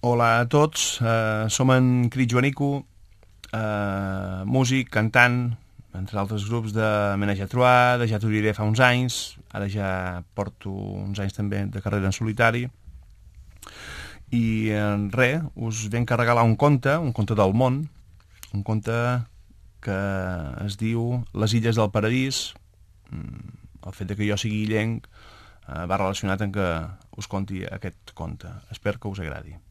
Hola a tots, som en Crit Joanico, músic, cantant, entre altres grups de Menage a Trois, de Ja t'ho diré fa uns anys, ara ja porto uns anys també de carrera en solitari, i res, us venc a regalar un conte del món, un conte que es diu Les illes del paradís. El fet de que jo sigui illenc va relacionat amb que us conti aquest conte. Espero que us agradi.